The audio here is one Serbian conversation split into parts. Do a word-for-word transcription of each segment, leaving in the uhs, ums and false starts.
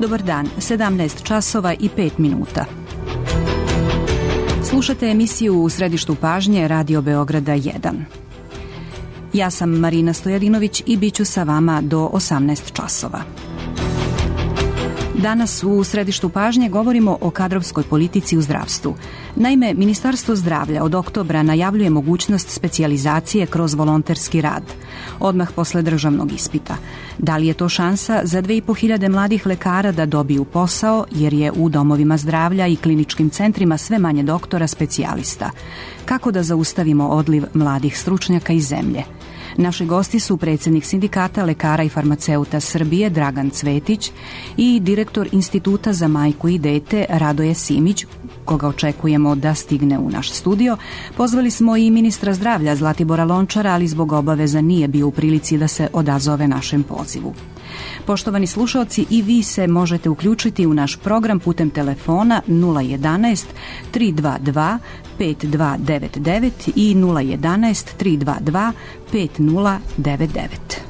Dobar dan, sedamnaest časova i pet minuta. Slušate emisiju U središtu pažnje Radio Beograda jedan. Ja sam Marina Stojadinović i bit ću sa vama do osamnaest časova. Danas u središtu pažnje govorimo o kadrovskoj politici u zdravstvu. Naime, Ministarstvo zdravlja od oktobra najavljuje mogućnost specijalizacije kroz volonterski rad, odmah posle državnog ispita. Da li je to šansa za dve i po hiljade mladih lekara da dobiju posao, jer je u domovima zdravlja i kliničkim centrima sve manje doktora specijalista? Kako da zaustavimo odliv mladih stručnjaka iz zemlje? Naši gosti su predsjednik Sindikata lekara i farmaceuta Srbije Dragan Cvetić i direktor Instituta za majku i dete Radoje Simić, koga očekujemo da stigne u naš studio. Pozvali smo i ministra zdravlja Zlatibora Lončara, ali zbog obaveza nije bio u prilici da se odazove našem pozivu. Poštovani slušalci, i vi se možete uključiti u naš program putem telefona nula jedanaest tri dva dva pet dva devet devet i nula jedanaest tri dva dva pet nula devet devet.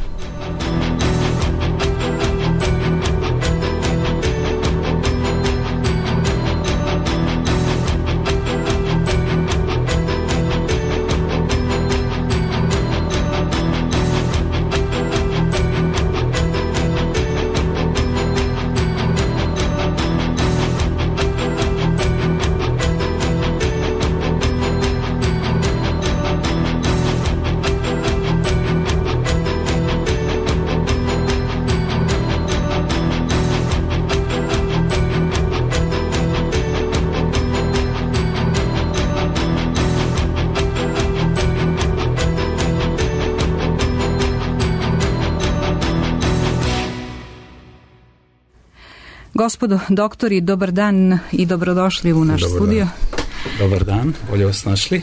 Gospodo doktori, dobar dan i dobrodošli u naš dobar studio. Dan. Dobar dan, bolje vas našli.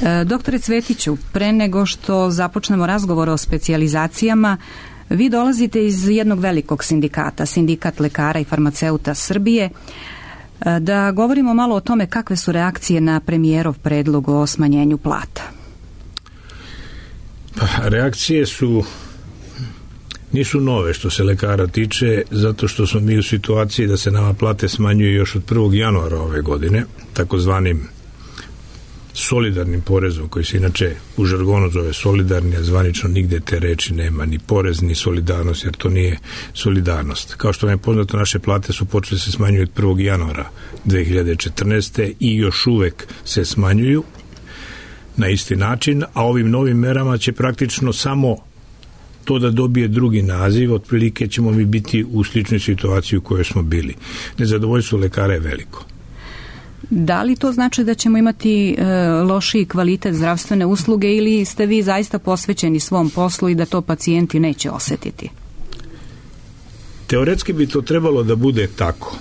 E, doktore Cvetiću, pre nego što započnemo razgovor o specijalizacijama, vi dolazite iz jednog velikog sindikata, Sindikat lekara i farmaceuta Srbije. E, da govorimo malo o tome kakve su reakcije na premijerov predlog o smanjenju plata. Pa, reakcije su nisu nove što se lekara tiče, zato što smo mi u situaciji da se nama plate smanjuju još od prvog januara ove godine, takozvanim solidarnim porezom, koji se inače u žargonu zove solidarni, a zvanično nigde te reči nema, ni porez, ni solidarnost, jer to nije solidarnost. Kao što vam je poznato, naše plate su počele se smanjuju od prvog januara dve hiljade četrnaeste. i još uvek se smanjuju na isti način, a ovim novim merama će praktično samo to da dobije drugi naziv. Otprilike ćemo mi biti u sličnoj situaciji u kojoj smo bili. Nezadovoljstvo lekara je veliko. Da li to znači da ćemo imati e, lošiji kvalitet zdravstvene usluge ili ste vi zaista posvećeni svom poslu i da to pacijenti neće osjetiti? Teoretski bi to trebalo da bude tako.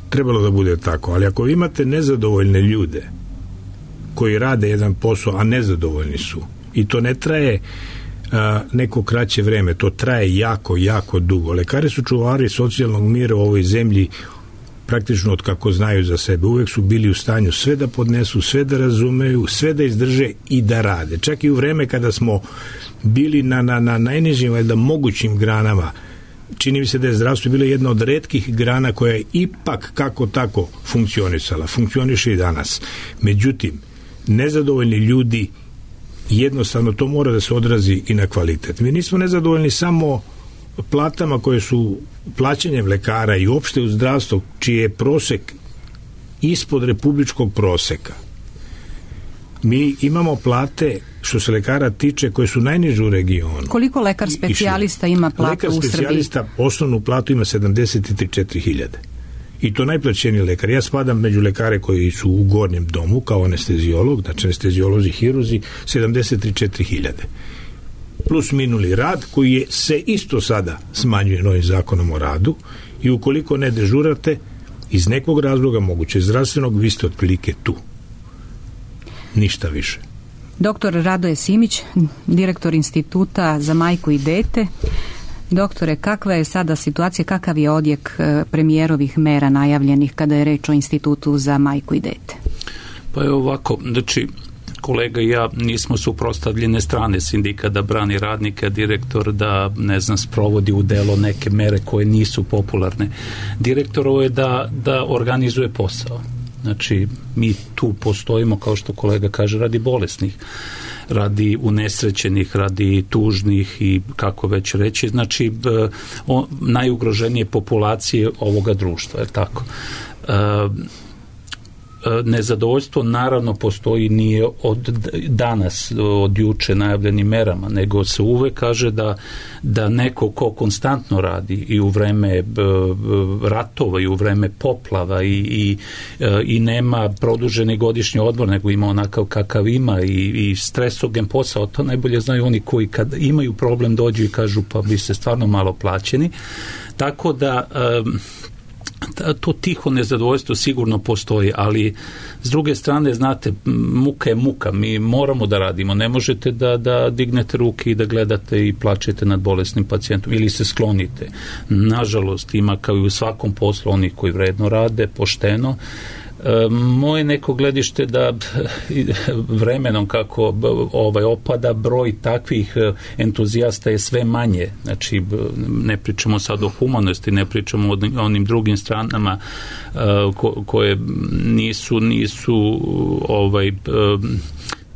Trebalo da bude tako, ali ako imate nezadovoljne ljude koji rade jedan posao, a nezadovoljni su, i to ne traje A, neko kraće vreme, to traje jako, jako dugo. Lekari su čuvari socijalnog mira u ovoj zemlji praktično od kako znaju za sebe. Uvek su bili u stanju sve da podnesu, sve da razumeju, sve da izdrže i da rade. Čak i u vreme kada smo bili na, na, na najnižim, valjda mogućim granama, čini mi se da je zdravstvo bilo jedna od retkih grana koja je ipak kako tako funkcionisala. Funkcioniše i danas. Međutim, nezadovoljni ljudi, jednostavno to mora da se odrazi i na kvalitet. Mi nismo nezadovoljni samo platama koje su plaćanjem lekara i uopšte u zdravstvu, čiji je prosek ispod republičkog proseka. Mi imamo plate, što se lekara tiče, koje su najniže u regionu. Koliko lekar specijalista ima platu u Srbiji? Lekar specijalista osnovnu platu ima sedamdeset četiri hiljade. I to najplaćeniji lekar. Ja spadam među lekare koji su u gornjem domu kao anesteziolog, znači anesteziolozi, hiruzi, sedamdeset četiri hiljade. Plus minuli rad koji je se isto sada smanjuje novim zakonom o radu i ukoliko ne dežurate iz nekog razloga, moguće zdravstvenog, vi ste otprilike tu. Ništa više. Doktor Radoje Simić, direktor Instituta za majku i dete. Doktore, kakva je sada situacija, kakav je odjek premijerovih mera najavljenih kada je reč o Institutu za majku i dete? Pa je ovako, znači, kolega i ja nismo suprotstavljene strane, sindikat da brani radnika, direktor da, ne znam, sprovodi u delo neke mere koje nisu popularne. Direktorovo je da, da organizuje posao. Znači, mi tu postojimo, kao što kolega kaže, radi bolesnih, radi unesrećenih, radi tužnih i kako već reći, znači o, najugroženije populacije ovoga društva, je tako? E, nezadovoljstvo naravno postoji, nije od danas, od juče najavljenim merama, nego se uvek kaže da, da neko ko konstantno radi i u vreme ratova i u vreme poplava i, i, i nema produženi godišnji odmor, nego ima onakav kakav ima i, i stresogen posao, to najbolje znaju oni koji kad imaju problem dođu i kažu pa vi ste stvarno malo plaćeni. Tako da to tiho nezadovoljstvo sigurno postoji, ali s druge strane, znate, muka je muka, mi moramo da radimo, ne možete da, da dignete ruke i da gledate i plačete nad bolesnim pacijentom ili se sklonite. Nažalost, ima kao i u svakom poslu onih koji vredno rade, pošteno. Moje neko gledište da vremenom kako ovaj opada broj takvih entuzijasta je sve manje. Znači, ne pričamo sad o humanosti, ne pričamo o onim drugim stranama ko, koje nisu nisu ovaj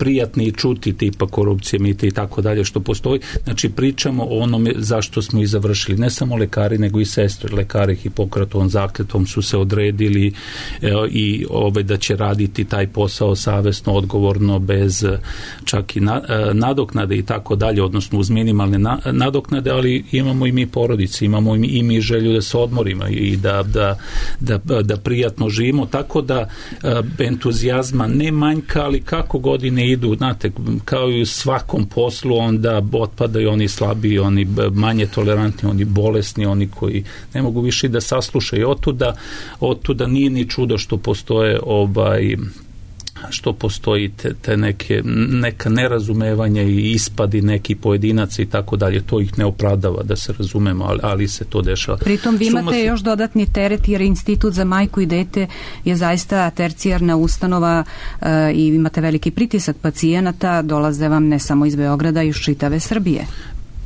prijatni i čuti, tipa korupcije, mita i tako dalje što postoji. Znači, pričamo o onome zašto smo i završili. Ne samo lekari, nego i sestre. Lekari Hipokratovom zakletvom su se odredili e, i ove, da će raditi taj posao savesno, odgovorno, bez čak i na, e, nadoknade i tako dalje, odnosno uz minimalne na, nadoknade, ali imamo i mi porodice, imamo i mi, i mi želju da se odmorimo i da, da, da, da prijatno živimo, tako da e, entuzijazma ne manjka, ali kako godine idu, znate, kao i u svakom poslu, onda otpadaju oni slabiji, oni manje tolerantni, oni bolesni, oni koji ne mogu više da saslušaju. Otuda, otuda nije ni čudo što postoje ovaj što postoji te, te neke, neka nerazumevanja i ispadi neki pojedinaca i tako dalje. To ih ne opravdava, da se razumemo, ali, ali se to dešava. Pritom vi imate Suma... još dodatni teret, jer Institut za majku i dete je zaista tercijarna ustanova e, i imate veliki pritisak pacijenata, dolaze vam ne samo iz Beograda, iz čitave Srbije.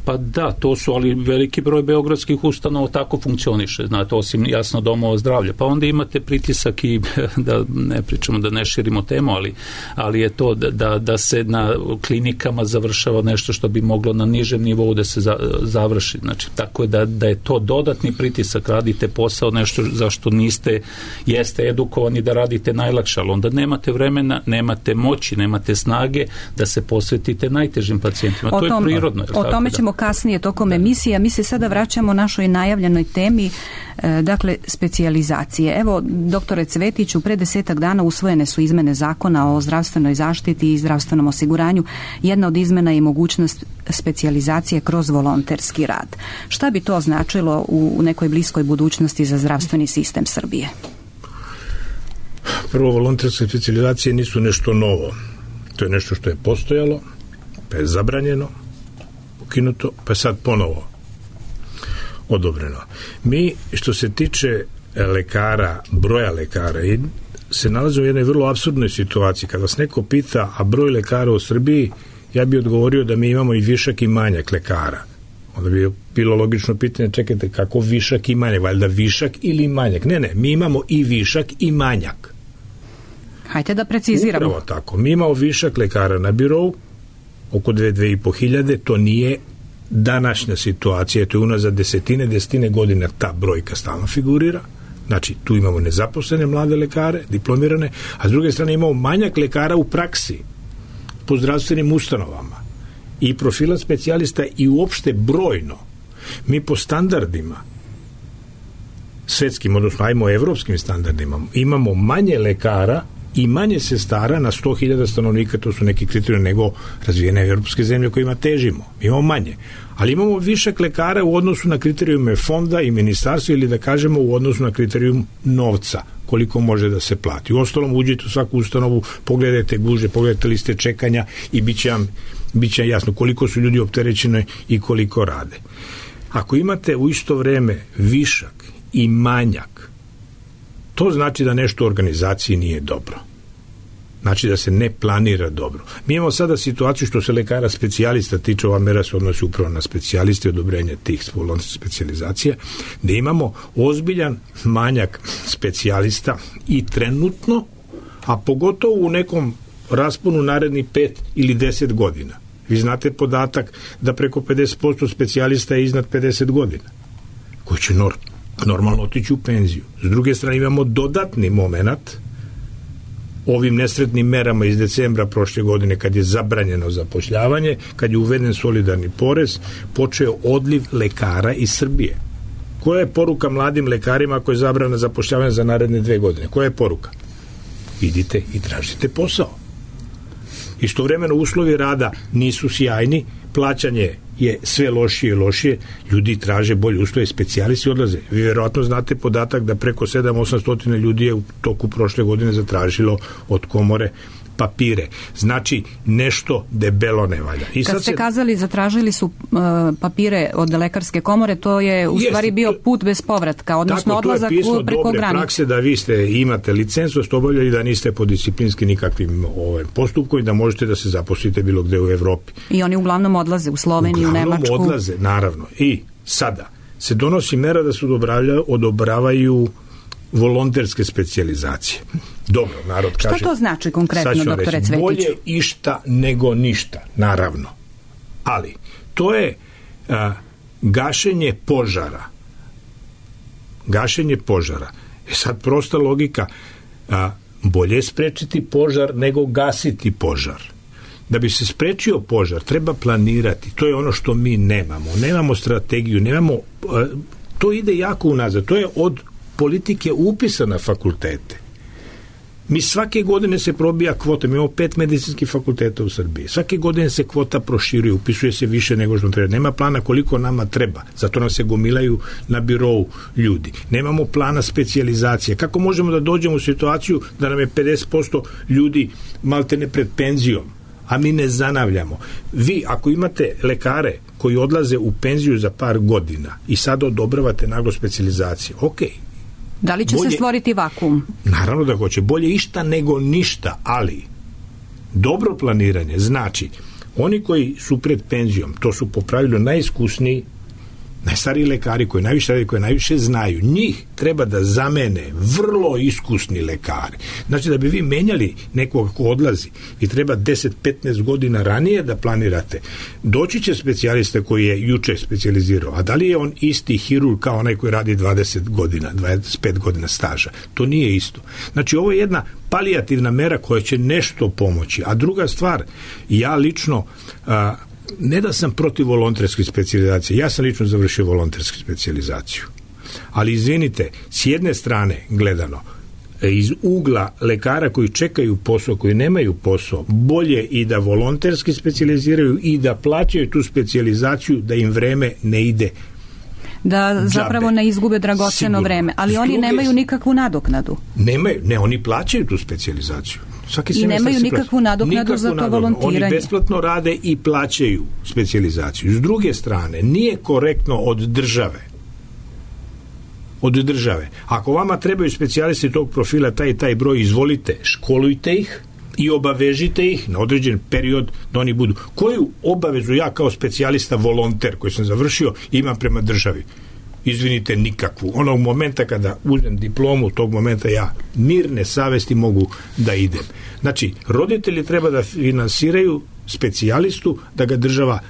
Pa da, to su, ali veliki broj beogradskih ustanova tako funkcioniše, znate, osim jasno domova zdravlja. Pa onda imate pritisak i, da ne pričamo, da ne širimo temu, ali, ali je to da, da, da se na klinikama završava nešto što bi moglo na nižem nivou da se za, završi. Znači, tako je da, da je to dodatni pritisak, radite posao, nešto zašto niste, jeste edukovani da radite najlakše, ali onda nemate vremena, nemate moći, nemate snage da se posvetite najtežim pacijentima. O to tom, je prirodno. O tome ćemo kasnije tokom emisije. Mi se sada vraćamo našoj najavljenoj temi, e, dakle, specijalizacije. Evo, doktore Cvetiću, pre desetak dana usvojene su izmene zakona o zdravstvenoj zaštiti i zdravstvenom osiguranju. Jedna od izmena je mogućnost specijalizacije kroz volonterski rad. Šta bi to značilo u nekoj bliskoj budućnosti za zdravstveni sistem Srbije? Prvo, volonterske specijalizacije nisu nešto novo. To je nešto što je postojalo, pa je zabranjeno, ukinuto, pa je sad ponovo odobreno. Mi, što se tiče lekara, broja lekara, se nalazimo u jednoj vrlo apsurdnoj situaciji. Kad vas neko pita, a broj lekara u Srbiji, ja bih odgovorio da mi imamo i višak i manjak lekara. Onda bi bilo logično pitanje, čekajte, kako višak i manjak? Valjda višak ili manjak? Ne, ne, mi imamo i višak i manjak. Hajde da preciziramo. Upravo tako. Mi imamo višak lekara na birou, oko dve, dve i po hiljade, to nije današnja situacija, to je unazad desetine, desetine godina ta brojka stalno figurira. Znači, tu imamo nezaposlene mlade lekare, diplomirane, a s druge strane imamo manjak lekara u praksi, po zdravstvenim ustanovama i profila specijalista i uopšte brojno. Mi po standardima svetskim, odnosno ajmo evropskim standardima, imamo manje lekara i manje sestara na sto hiljada stanovnika, to su neki kriterijumi, nego razvijene evropske zemlje kojima težimo. Imamo manje. Ali imamo višak lekara u odnosu na kriterijume fonda i ministarstva, ili da kažemo u odnosu na kriterijum novca, koliko može da se plati. U ostalom, uđete u svaku ustanovu, pogledajte guže, pogledajte liste čekanja i bit će vam, bit će jasno koliko su ljudi opterećeni i koliko rade. Ako imate u isto vreme višak i manjak, to znači da nešto u organizaciji nije dobro. Znači da se ne planira dobro. Mi imamo sada situaciju što se lekara specijalista tiče, ova mera se odnosi upravo na specijaliste i odobrenje tih volonterskih specijalizacija, da imamo ozbiljan manjak specijalista i trenutno, a pogotovo u nekom rasponu narednih pet ili deset godina. Vi znate podatak da preko pedeset posto specijalista je iznad pedeset godina, koji će nor- normalno otići u penziju. S druge strane imamo dodatni moment ovim nesretnim merama iz decembra prošle godine, kad je zabranjeno zapošljavanje, kad je uveden solidarni porez, počeo odliv lekara iz Srbije. Koja je poruka mladim lekarima ako je zabrana zapošljavanja za naredne dve godine? Koja je poruka? Idite i tražite posao. Istovremeno uslovi rada nisu sjajni, plaćanje je sve lošije i lošije, ljudi traže bolje uslove, specijalisti odlaze. Vi vjerojatno znate podatak da preko sedam do osam ljudi je u toku prošle godine zatražilo od komore papire. Znači, nešto debelo ne valja. I Kad sad ste se... kazali, zatražili su uh, papire od lekarske komore, to je u Jeste, stvari bio to... put bez povratka, odnosno Tako, odlazak preko granice. Prakse da vi ste, imate licencu, ste obavljali da niste po disciplinski nikakvim ovaj, postupkom i da možete da se zaposlite bilo gde u Evropi. I oni uglavnom odlaze u Sloveniju, u Nemačku. Odlaze, naravno. I sada se donosi mera da se odobravaju, odobravaju volonterske specijalizacije. Dobro, narod kaže... Šta to znači konkretno, doktore Cvetiću? Bolje išta nego ništa, naravno. Ali, to je a, gašenje požara. Gašenje požara. E sad, prosta logika, a, bolje je sprečiti požar nego gasiti požar. Da bi se sprečio požar, treba planirati. To je ono što mi nemamo. Nemamo strategiju, nemamo... A, to ide jako unazad. To je od politike upisa na fakultete. Mi svake godine se probija kvota, mi imamo pet medicinskih fakulteta u Srbiji. Svake godine se kvota proširuje, upisuje se više nego što treba. Nema plana koliko nama treba, zato nam se gomilaju na birou ljudi. Nemamo plana specijalizacije. Kako možemo da dođemo u situaciju da nam je pedeset posto ljudi maltene pred penzijom, a mi ne zanavljamo? Vi, ako imate lekare koji odlaze u penziju za par godina i sad odobravate naglo specijalizacije, okej, okay. Da li će bolje, se stvoriti vakuum? Naravno da hoće. Bolje išta nego ništa, ali dobro planiranje znači oni koji su pred penzijom, to su po pravilu najiskusniji, najstariji lekari koji najviše radi, koji najviše znaju, njih treba da zamene vrlo iskusni lekari. Znači da bi vi menjali nekoga ko odlazi, vi treba deset do petnaest godina ranije da planirate. Doći će specijalista koji je juče specijalizirao, a da li je on isti hirurg kao onaj koji radi dvadeset godina, dvadeset pet godina staža? To nije isto. Znači ovo je jedna palijativna mera koja će nešto pomoći. A druga stvar, ja lično a, ne da sam protiv volonterske specijalizacije, ja sam lično završio volontersku specijalizaciju. Ali izvinite, s jedne strane gledano, iz ugla lekara koji čekaju posao, koji nemaju posao, bolje i da volonterski specijaliziraju i da plaćaju tu specijalizaciju, da im vreme ne ide da džabe. Zapravo ne izgube dragoceno vreme, ali oni nemaju nikakvu nadoknadu. Nemaju, ne, oni plaćaju tu specijalizaciju. Svaki I nemaju nikakvu nadoknadu za to nadoknadu. Volontiranje. Oni besplatno rade i plaćaju specijalizaciju. S druge strane, nije korektno od države od države. Ako vama trebaju specijalisti tog profila, taj i taj broj, izvolite, školujte ih i obavežite ih na određen period da oni budu. Koju obavezu ja kao specijalista volonter koji sam završio imam prema državi? Izvinite, nikakvu. Onog momenta kada uzmem diplomu, tog momenta ja mirne savesti mogu da idem. Znači, roditelji treba da finansiraju specijalistu, da ga država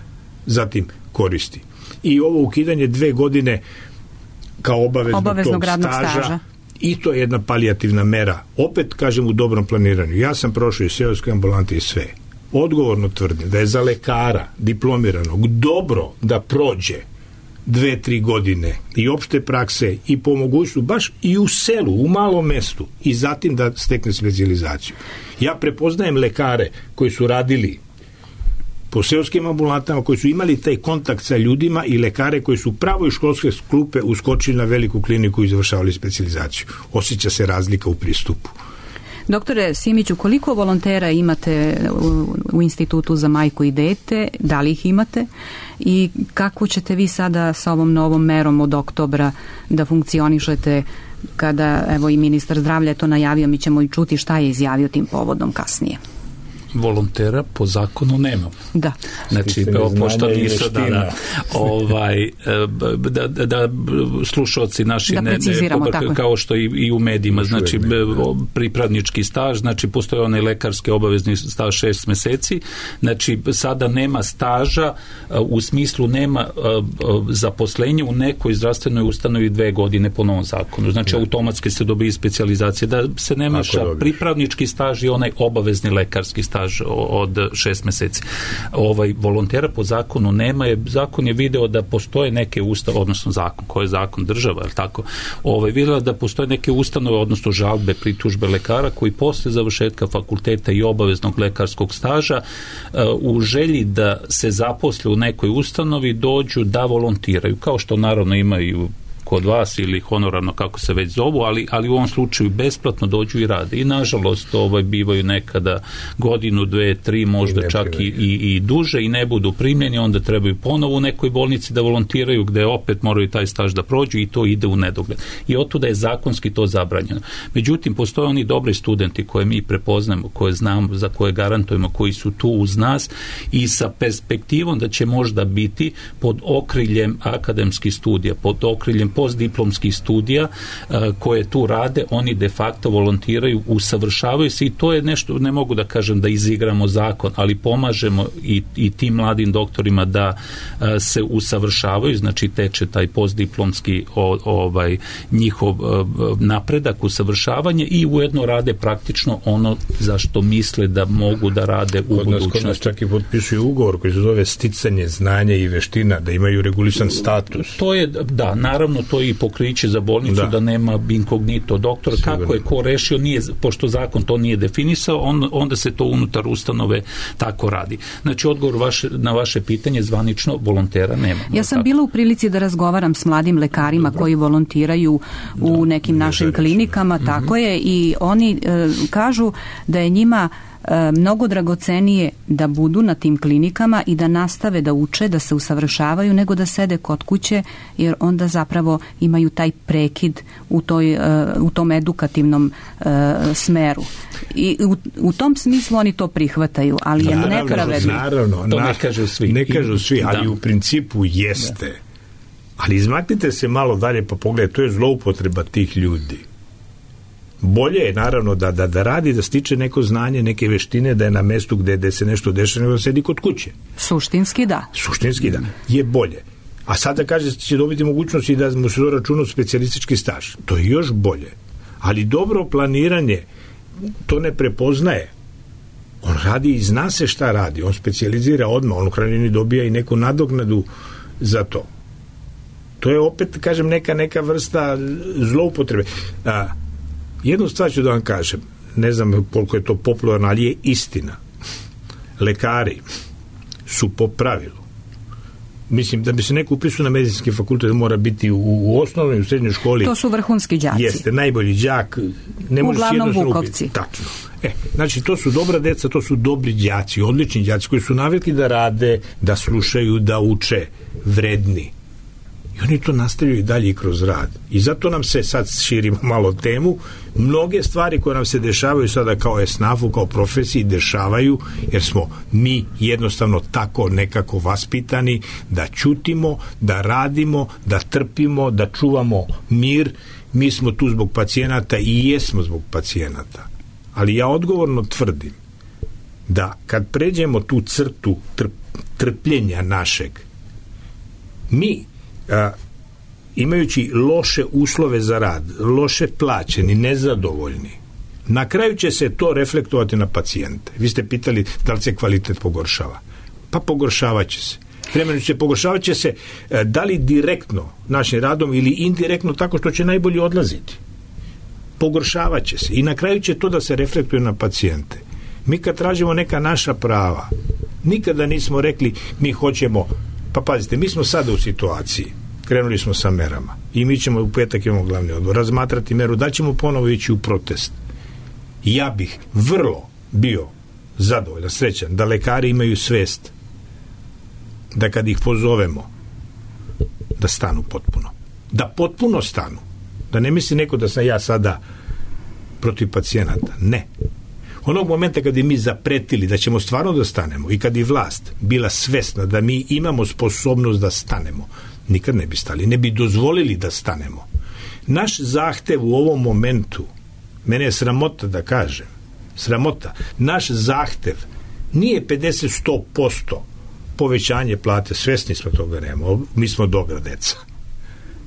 zatim koristi. I ovo ukidanje dve godine kao obaveznog, obaveznog tog radnog staža, staža, i to je jedna palijativna mera. Opet kažem u dobrom planiranju. Ja sam prošao iz seoske ambulante i sve. Odgovorno tvrdim da je za lekara diplomiranog dobro da prođe dve, tri godine i opšte prakse i po mogućstvu baš i u selu, u malom mestu i zatim da stekne specijalizaciju. Ja prepoznajem lekare koji su radili po seoskim ambulantama, koji su imali taj kontakt sa ljudima i lekare koji su pravo iz školske klupe uskočili na veliku kliniku i završavali specijalizaciju. Osjeća se razlika u pristupu. Doktore Simiću, koliko volontera imate u, u Institutu za majku i dete? Da li ih imate? I kako ćete vi sada sa ovom novom merom od oktobra da funkcionišete kada evo i ministar zdravlja je to najavio, mi ćemo i čuti šta je izjavio tim povodom kasnije. Volontera po zakonu nema. Da. Znači, pošto nisu da, da, ovaj, da, da, da slušalci naši da ne, ne, kao što i, i u medijima, znači pripravnički staž, znači postoji onaj lekarski obavezni staž šest meseci, znači sada nema staža u smislu nema zaposlenja u nekoj zdravstvenoj ustanovi dve godine po novom zakonu, znači da. Automatski se dobije specijalizacije, da se ne meša pripravnički staž i onaj obavezni lekarski staž od šest meseci. Ovaj volontera po zakonu nema, je zakon je video da postoje neke ustanove, odnosno zakon, koji je zakon država, je tako? Ovaj video da postoje neke ustanove, odnosno žalbe, pritužbe lekara koji posle završetka fakulteta i obaveznog lekarskog staža u želji da se zaposle u nekoj ustanovi dođu da volontiraju, kao što naravno imaju kod vas ili honorarno kako se već zovu, ali, ali u ovom slučaju besplatno dođu i rade. I nažalost ovaj, bivaju nekada godinu, dve, tri, možda čak i, i, i duže i ne budu primljeni, onda trebaju ponovo u nekoj bolnici da volontiraju gde opet moraju taj staž da prođu i to ide u nedogled. I otuda je zakonski to zabranjeno. Međutim, postoje oni dobri studenti koje mi prepoznamo, koje znamo, za koje garantujemo, koji su tu uz nas i sa perspektivom da će možda biti pod okriljem akademskih studija, pod okriljem postdiplomskih studija uh, koje tu rade, oni de facto volontiraju, usavršavaju se i to je nešto, ne mogu da kažem da izigramo zakon, ali pomažemo i, i tim mladim doktorima da uh, se usavršavaju, znači teče taj postdiplomski o, ovaj, njihov uh, napredak, usavršavanje i ujedno rade praktično ono za što misle da mogu da rade u kod nas, budućnosti. Kod nas čak i potpisuju ugovor koji se zove sticanje znanja i veština, da imaju regulisan status. To je, da, naravno to je i pokriće za bolnicu da, da nema inkognito doktora. Sigurno. Kako je ko rešio, nije, pošto zakon to nije definisao, on, onda se to unutar ustanove tako radi. Znači, odgovor vaše, na vaše pitanje zvanično volontera nema. Ja sam tako. bila u prilici da razgovaram s mladim lekarima Dobro. koji volontiraju u da, nekim našim klinikama, mm-hmm. tako je, i oni e, kažu da je njima mnogo dragocenije da budu na tim klinikama i da nastave da uče, da se usavršavaju, nego da sede kod kuće, jer onda zapravo imaju taj prekid u, toj, u tom edukativnom uh, smeru. I u, u tom smislu oni to prihvataju, ali je naravno, nepravedno. Naravno, to na, ne kažu svi. Ne kažu svi, ali da. u principu jeste. Da. Ali izmaknite se malo dalje pa pogledajte, to je zloupotreba tih ljudi. Bolje je naravno da, da, da radi, da stiče neko znanje, neke veštine, da je na mestu gde, gde se nešto dešava, nego da sedi kod kuće. Suštinski da. Suštinski da. Je bolje. A sada kaže će dobiti mogućnost i da mu se doračuna specijalistički staž. To je još bolje. Ali dobro planiranje to ne prepoznaje. On radi i zna se šta radi. On specijalizira odmah. On u krajnjini dobija i neku nadoknadu za to. To je opet, kažem, neka, neka vrsta zloupotrebe. A, jednu stvar ću da vam kažem, ne znam koliko je to popularno, ali je istina. Lekari su po pravilu, mislim da bi se neko upisao na medicinski fakultet mora biti u, u osnovnoj i u srednjoj školi. To su vrhunski đaci. Jeste, najbolji đak. Ne uglavnom vukovci. Tačno. E, znači, to su dobra deca, to su dobri đaci, odlični đaci koji su navikli da rade, da slušaju, da uče, vredni. I oni to nastavljaju i dalje i kroz rad. I zato nam se, sad širimo malo temu, mnoge stvari koje nam se dešavaju sada kao esnafu, kao profesiji, dešavaju jer smo mi jednostavno tako nekako vaspitani da ćutimo, da radimo, da trpimo, da čuvamo mir. Mi smo tu zbog pacijenata i jesmo zbog pacijenata. Ali ja odgovorno tvrdim da kad pređemo tu crtu trp, trpljenja našeg, mi A, imajući loše uslove za rad, loše plaćeni, nezadovoljni, na kraju će se to reflektovati na pacijente. Vi ste pitali da li se kvalitet pogoršava. Pa pogoršavat će se. Vremenom će pogoršavat će se da li direktno našim radom ili indirektno tako što će najbolje odlaziti. Pogoršavat će se. I na kraju će to da se reflektuje na pacijente. Mi kad tražimo neka naša prava, nikada nismo rekli mi hoćemo. Pa pazite, mi smo sada u situaciji, krenuli smo sa merama i mi ćemo u petak imamo glavni odbor razmatrati meru, da ćemo ponovo ići u protest. Ja bih vrlo bio zadovoljan, srećan da lekari imaju svest da kad ih pozovemo da stanu potpuno, da potpuno stanu, Da ne misli neko da sam ja sada protiv pacijenata. Ne. Onog momenta kad je mi zapretili da ćemo stvarno da stanemo i kad je vlast bila svesna da mi imamo sposobnost da stanemo, nikad ne bi stali, ne bi dozvolili da stanemo. Naš zahtev u ovom momentu, mene je sramota da kažem, sramota, naš zahtev nije pedeset do sto posto povećanje plate, svesni smo toga nema, mi smo dobra deca.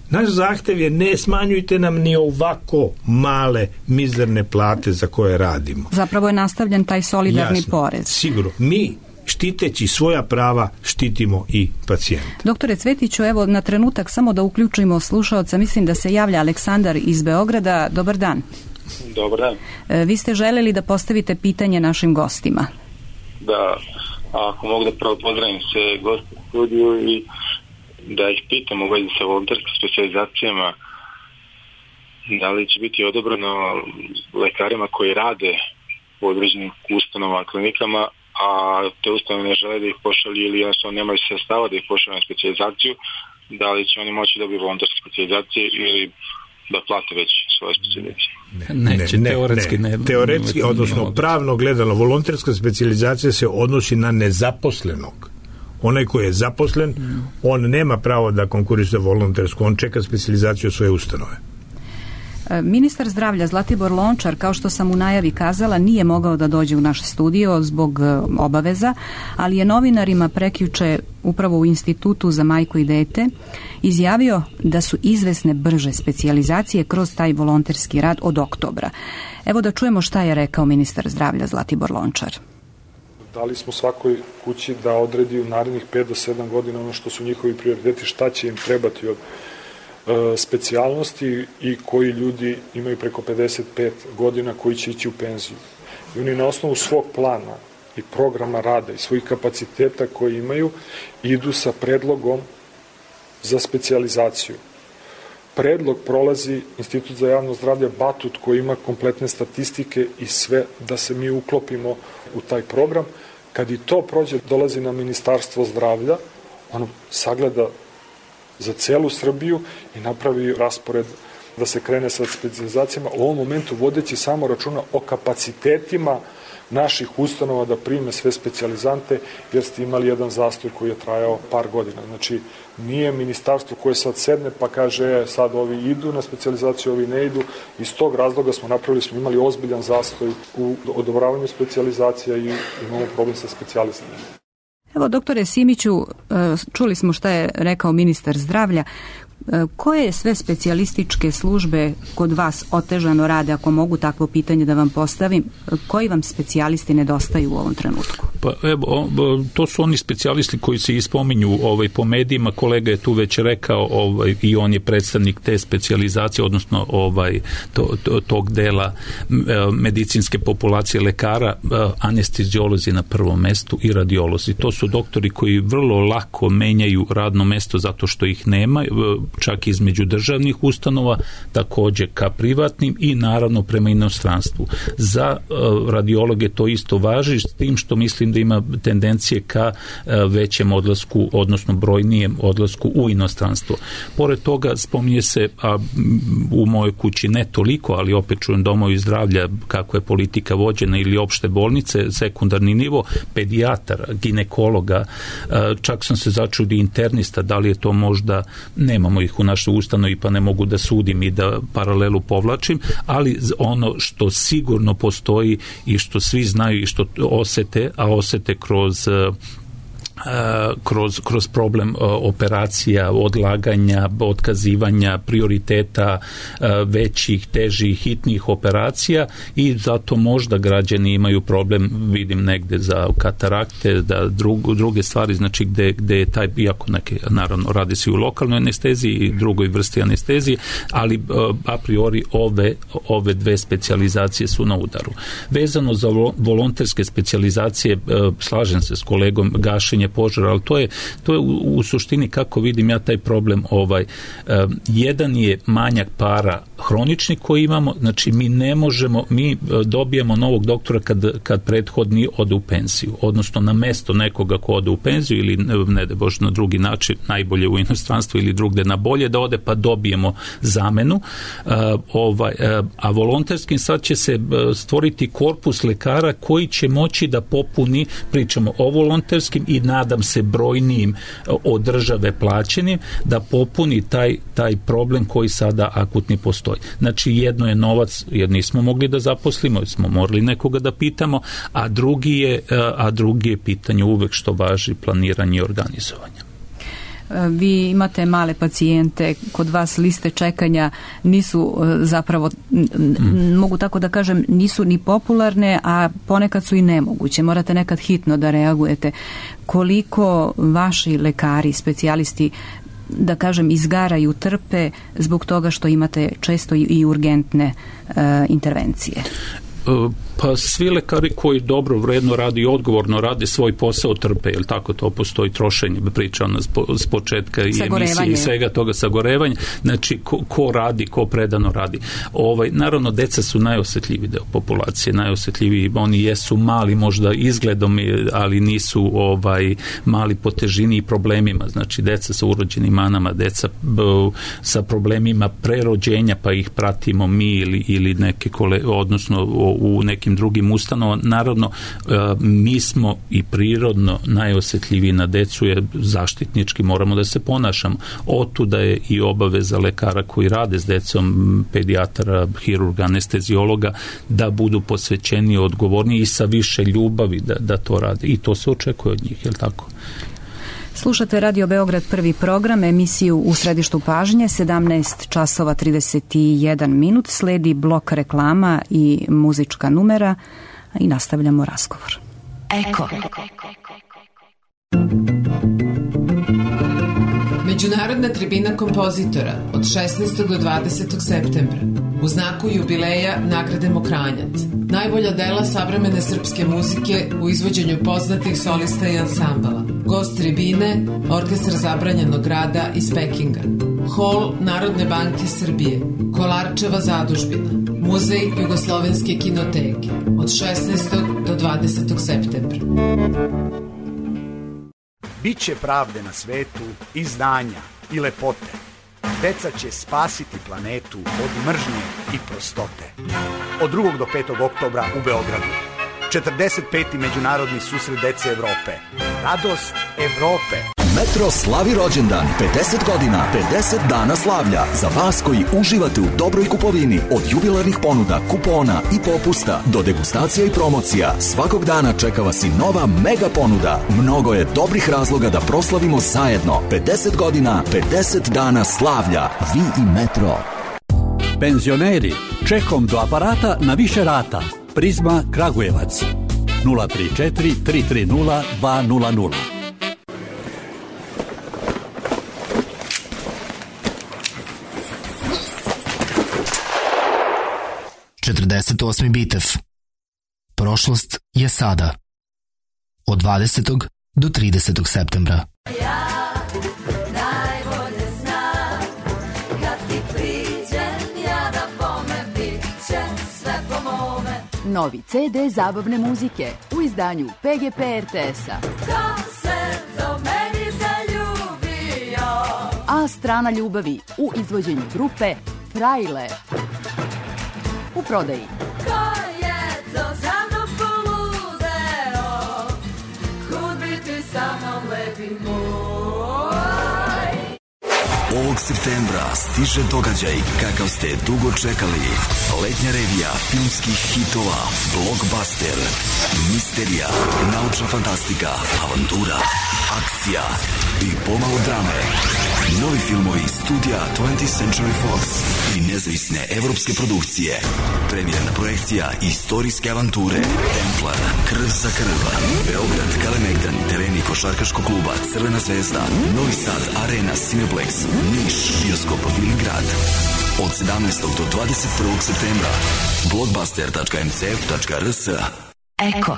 Naš zahtev je ne smanjujte nam ni ovako male, mizerne plate za koje radimo. Zapravo je nastavljen taj solidarni Jasno, porez. Sigurno. Mi, štiteći svoja prava, štitimo i pacijenta. Doktore Cvetiću, evo na trenutak samo da uključimo slušaoca, mislim da se javlja Aleksandar iz Beograda. Dobar dan. Dobar dan. E, vi ste želeli da postavite pitanje našim gostima. Da, ako mogu da prvo pozdravim se goste u studiju i da ih pitam u vezi sa volonterskim specijalizacijama, da li će biti odobreno lekarima koji rade u određenim ustanovama, klinikama, a te ustanove ne žele da ih pošalju ili jednostavno nemaju sredstava da ih pošalju na specijalizaciju, da li će oni moći dobiti volonterske specijalizacije ili da plate već svoje specijalizacije? Ne, Neće, ne, teoretski ne. ne. Teoretski, odnosno pravno gledano, volonterska specijalizacija se odnosi na nezaposlenog. Onaj koji je zaposlen, on nema pravo da konkuriše za volontersku, on čeka specijalizaciju svoje ustanove. Ministar zdravlja Zlatibor Lončar, kao što sam u najavi kazala, nije mogao da dođe u naš studio zbog obaveza, ali je novinarima prekjuče upravo u Institutu za majku i dete izjavio da su izvesne brže specijalizacije kroz taj volonterski rad od oktobra. Evo da čujemo šta je rekao ministar zdravlja Zlatibor Lončar. Dali smo svakoj kući da odredi u narednih pet do sedam godina ono što su njihovi prioriteti, šta će im trebati od e, specijalnosti i koji ljudi imaju preko pedeset pet godina koji će ići u penziju. I oni na osnovu svog plana i programa rada i svojih kapaciteta koji imaju idu sa predlogom za specijalizaciju. Predlog prolazi Institut za javno zdravlje Batut koji ima kompletne statistike i sve da se mi uklopimo u taj program. Kad i to prođe, dolazi na Ministarstvo zdravlja, ono sagleda za celu Srbiju i napravi raspored da se krene sa specijalizacijama, u ovom momentu vodeći samo računa o kapacitetima naših ustanova da prime sve specijalizante, jer ste imali jedan zastoj koji je trajao par godina. Znači, nije ministarstvo koje sad sedne pa kaže sad ovi idu na specijalizaciju, ovi ne idu. Iz tog razloga smo napravili, smo imali ozbiljan zastoj u odobravanju specijalizacija i imamo problem sa specijalistima. Evo, doktore Simiću, čuli smo šta je rekao ministar zdravlja. Koje sve specijalističke službe kod vas otežano rade, ako mogu takvo pitanje da vam postavim? Koji vam specijalisti nedostaju u ovom trenutku? Pa evo, to su oni specijalisti koji se ispominju ovaj, po medijima. Kolega je tu već rekao ovaj, i on je predstavnik te specijalizacije, odnosno ovaj, to, to, tog dela medicinske populacije lekara, anesteziolozi na prvom mestu i radiolozi. To su doktori koji vrlo lako menjaju radno mesto zato što ih nema, čak između državnih ustanova, također ka privatnim i naravno prema inostranstvu. Za uh, radiologe to isto važi, s tim što mislim da ima tendencije ka uh, većem odlasku, odnosno brojnijem odlasku u inostranstvo. Pored toga spominje se, a u mojoj kući ne toliko, ali opet čujem domovi zdravlja kako je politika vođena ili opšte bolnice, sekundarni nivo, pedijatara, ginekologa, uh, čak sam se začudi internista, da li je to možda, nemamo ih u našoj ustanovi pa ne mogu da sudim i da paralelu povlačim, ali ono što sigurno postoji i što svi znaju i što osete, a osete kroz kroz, kroz problem operacija, odlaganja, otkazivanja, prioriteta većih, težih, hitnih operacija i zato možda građani imaju problem, vidim negde za katarakte, da drugu, druge stvari, znači gde, gde je taj, iako neke, naravno, radi se u lokalnoj anesteziji i drugoj vrsti anestezije, ali a priori ove, ove dve specijalizacije su na udaru. Vezano za volonterske specijalizacije, slažem se s kolegom, gašenje gašenje požara, ali to je, to je u, u suštini, kako vidim ja taj problem, ovaj, um, jedan je manjak para hronični koji imamo, znači mi ne možemo, mi dobijemo novog doktora kad, kad prethodni ode u penziju, odnosno na mesto nekoga ko ode u penziju ili ne da bože na drugi način, najbolje u inostranstvu ili drugde na bolje da ode, pa dobijemo zamenu, uh, ovaj, uh, a volonterskim sad će se stvoriti korpus lekara koji će moći da popuni, pričamo o volonterskim i nadam se brojnijim od države plaćenim, da popuni taj, taj problem koji sada akutni postoji. Znači jedno je novac, jer nismo mogli da zaposlimo, jer smo morali nekoga da pitamo, a drugi je, a drugi je pitanje uvek što važi planiranje i organizovanje. Vi imate male pacijente, kod vas liste čekanja nisu zapravo, mm. mogu tako da kažem, nisu ni popularne, a ponekad su i nemoguće. Morate nekad hitno da reagujete. Koliko vaši lekari, specijalisti, da kažem, izgaraju, trpe zbog toga što imate često i urgentne uh, intervencije? Pa svi lekari koji dobro, vredno radi i odgovorno radi svoj posao trpe, jel tako, to postoji trošenje, pričao nas s početka i emisije i svega toga, sagorevanje, znači ko, ko radi, ko predano radi. Ovaj, naravno, deca su najosjetljiviji deo populacije, najosjetljiviji, oni jesu mali možda izgledom, ali nisu ovaj mali po težini i problemima, znači deca sa urođenim manama, deca b, sa problemima prerođenja, pa ih pratimo mi ili, ili neke kole, odnosno u nekim drugim ustanovama. Naravno, mi smo i prirodno najosjetljiviji na decu, jer zaštitnički moramo da se ponašamo. Otuda je i obaveza lekara koji rade s decom, pedijatara, hirurga, anesteziologa, da budu posvećeni, odgovorni i sa više ljubavi da, da to rade. I to se očekuje od njih, je li tako? Slušate Radio Beograd, prvi program, emisiju U središtu pažnje, sedamnaest časova trideset jedan minut, sledi blok reklama i muzička numera i nastavljamo razgovor. Eko. Međunarodna tribina kompozitora od šesnaestog do dvadesetog septembra u znaku jubileja nagrade Mokranjac. Najbolja dela savremene srpske muzike u izvođenju poznatih solista i ansambala. Gost tribine, Orkestar zabranjenog rada iz Pekinga. Hol Narodne banke Srbije, Kolarčeva zadužbina, Muzej Jugoslovenske kinoteke od šesnaestog do dvadesetog septembra. Biće pravde na svetu i znanja i lepote. Deca će spasiti planetu od mržnje i prostote. Od drugog do petog oktobra u Beogradu. četrdeset peti Međunarodni susret dece Evrope. Radost Evrope. Metro slavi rođendan, pedeset godina, pedeset dana slavlja. Za vas koji uživate u dobroj kupovini, od jubilarnih ponuda, kupona i popusta do degustacija i promocija, svakog dana čeka vas i nova mega ponuda. Mnogo je dobrih razloga da proslavimo zajedno. pedeset godina, pedeset dana slavlja. Vi i Metro. Penzioneri, čekom do aparata na više rata. Prizma Kragujevac. nula tri četiri tri tri nula dva nula nula. četrdeset osmi Bitev. Prošlost je sada. Od dvadesetog do tridesetog septembra. Ja najbolje znam, kad ti priđem, ja da bome bit će sve po mome. Novi ce de zabavne muzike u izdanju pe ge pe er te es-a. Ko se do meni zaljubio? A strana ljubavi u izvođenju grupe Frajle. U prodaji. Ko je to za mnom poludeo? Kud bi ti sa mnom lepi moj? Ovog septembra stiže događaj kakav ste dugo čekali. Letnja revija filmskih hitova, blockbuster, misterija, naučna fantastika, avantura, akcija i pomalo drame. Novi filmovi studija twentieth Century Fox i nezavisne evropske produkcije. Premijerna projekcija istorijske avanture Templar, Krv za krv, Beograd, Kalemegdan, tereni košarkaškog kluba Crvena zvezda, Novi Sad, Arena, Cineplex, Niš, bioskop Viligrad. Od sedamnaestog do dvadeset prvog septembra. blockbuster tačka em ce ef tačka er es. Eko.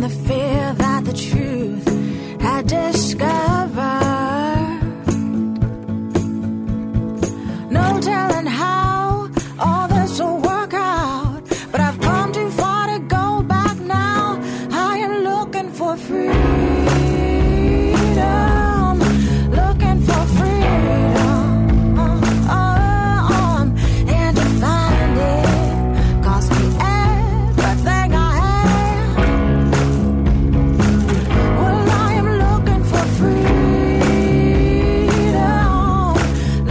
the fear that the truth had discovered. No telling how all this will work out, but I've come too far to go back now. I am looking for freedom, looking for freedom, uh, uh, um, and to find it cost me everything I have. Well, I am looking for freedom,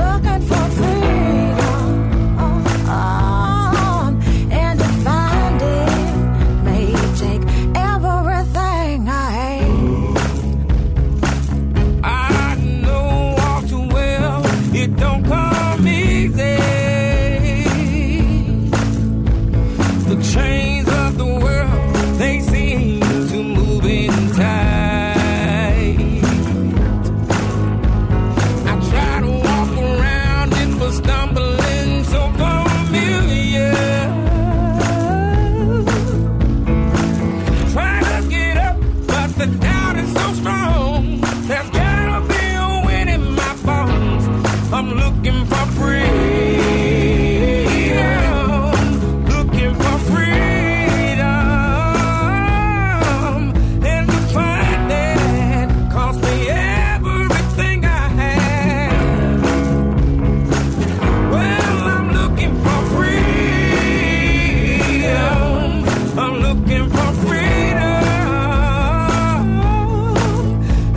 looking for freedom, uh, um, and to find it may take everything I have. I know all too well it don't come easy. The chains of the world, they seem to move in tight. I try to walk around it, but stumbling so familiar. Try to get up, but the doubt is so strong. There's gotta be a wind in my bones. I'm looking for freedom, looking for freedom, and to find that cost me everything I have. Well, I'm looking for freedom, I'm looking for freedom,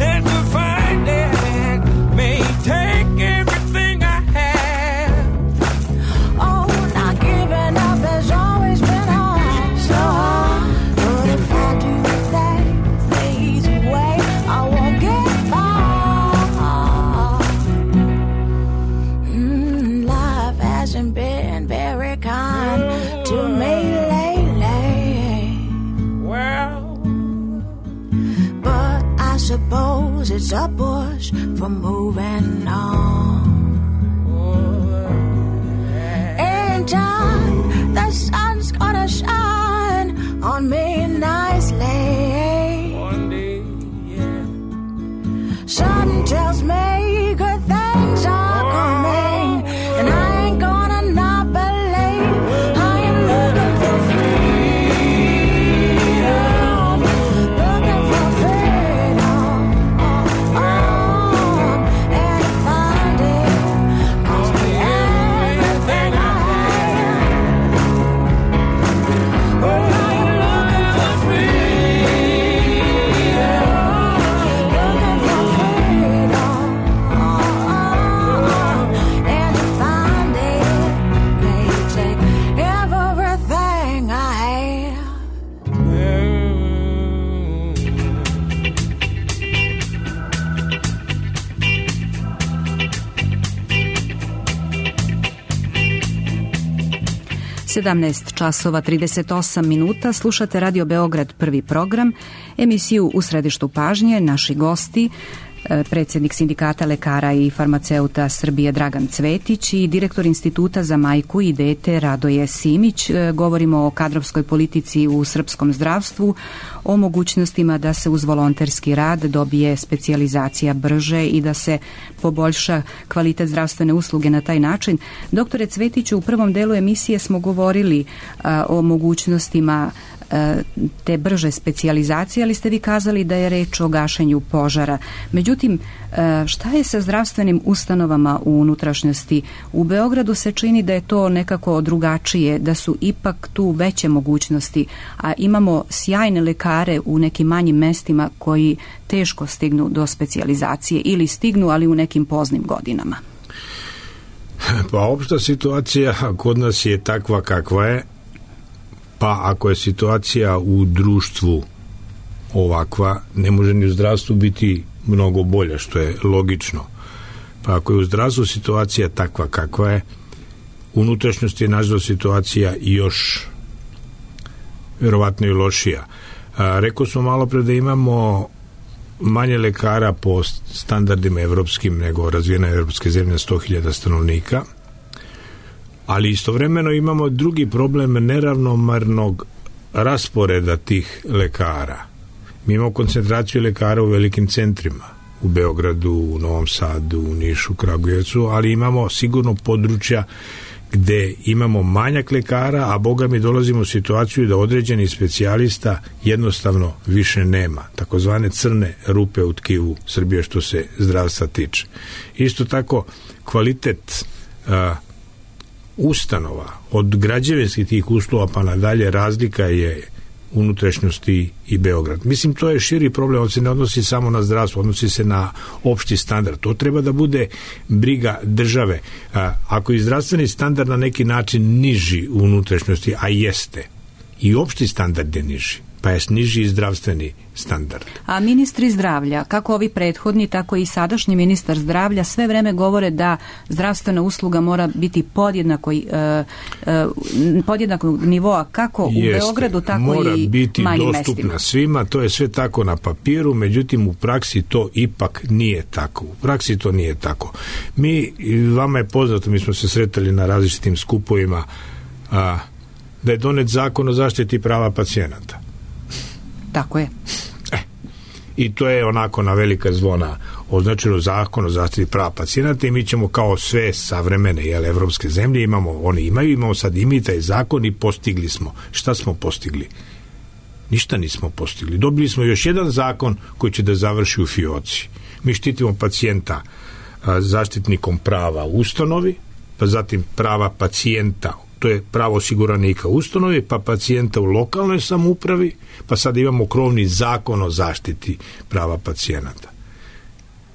and to find that may take everything I have. Oh, not giving up has always been hard, so hard. But if I do things the easy way, I won't get far. Mm, life hasn't been very kind to me lately, Well, but I suppose it's a push for moving on. In time, the sun's gonna shine on me nicely. one day, yeah. Something tells me good things are coming, and I ain't gonna not believe. I am looking for freedom, looking for freedom, oh, and to find it cost me everything I have. Oh, I am looking for freedom, looking for freedom, oh, and to find it may take everything I have. sedamnaest časova trideset osam minuta, slušate Radio Beograd prvi program, emisiju U središtu pažnje, naši gosti, e, predsjednik Sindikata lekara i farmaceuta Srbije Dragan Cvetić i direktor Instituta za majku i dete Radoje Simić. E, Govorimo o kadrovskoj politici u srpskom zdravstvu, o mogućnostima da se uz volonterski rad dobije specijalizacija brže i da se poboljša kvalitet zdravstvene usluge na taj način. Doktore Cvetiću, u prvom delu emisije smo govorili a, o mogućnostima a, te brže specijalizacije, ali ste vi kazali da je reč o gašenju požara. Međutim, a, šta je sa zdravstvenim ustanovama u unutrašnjosti? U Beogradu se čini da je to nekako drugačije, da su ipak tu veće mogućnosti, a imamo sjajne lekare u nekim manjim mestima koji teško stignu do specijalizacije ili stignu, ali u nekim poznim godinama. Pa opšta situacija kod nas je takva kakva je, pa ako je situacija u društvu ovakva, ne može ni u zdravstvu biti mnogo bolja, što je logično. Pa ako je u zdravstvu situacija takva kakva je, u unutrašnjosti je nažalost situacija još verovatno i lošija. A, rekao smo malo pre da imamo manje lekara po standardima evropskim nego razvijena evropske zemlje, sto hiljada stanovnika, ali istovremeno imamo drugi problem neravnomarnog rasporeda tih lekara. Mi imamo koncentraciju lekara u velikim centrima, u Beogradu, u Novom Sadu, u Nišu, Kragujevcu, ali imamo sigurno područja gde imamo manjak lekara, a boga mi dolazimo u situaciju da određeni specijalista jednostavno više nema. Takozvane crne rupe u tkivu Srbije što se zdravstva tiče. Isto tako, kvalitet a, ustanova, od građevinskih tih uslova pa nadalje, razlika je unutrašnjosti i Beograd. Mislim, to je širi problem, on se ne odnosi samo na zdravstvo, odnosi se na opšti standard. To treba da bude briga države. A, ako je zdravstveni standard na neki način niži u unutrašnjosti, a jeste, i opšti standard je niži, pa je niži i zdravstveni standard. A ministri zdravlja, kako ovi prethodni, tako i sadašnji ministar zdravlja, sve vreme govore da zdravstvena usluga mora biti podjednako, uh, uh, podjednakog nivoa, kako u Jeste, Beogradu, tako mora i biti manjim dostupna mestima. svima, to je sve tako na papiru, međutim u praksi to ipak nije tako. U praksi to nije tako. Mi, vama je poznato, mi smo se sretali na različitim skupovima, a, da je donet zakon o zaštiti prava pacijenata. Tako je. E, i to je onako na velika zvona označeno zakon o zaštiti prava pacijenata i mi ćemo kao sve savremene jel, evropske zemlje, imamo, oni imaju, imamo sad i mi taj zakon i postigli smo. Šta smo postigli? Ništa nismo postigli. Dobili smo još jedan zakon koji će da završi u fioci. Mi štitimo pacijenta a, zaštitnikom prava u ustanovi, pa zatim prava pacijenta, to je pravo osiguranika u ustanovi, pa pacijenta u lokalnoj samoupravi, pa sad imamo krovni zakon o zaštiti prava pacijenata.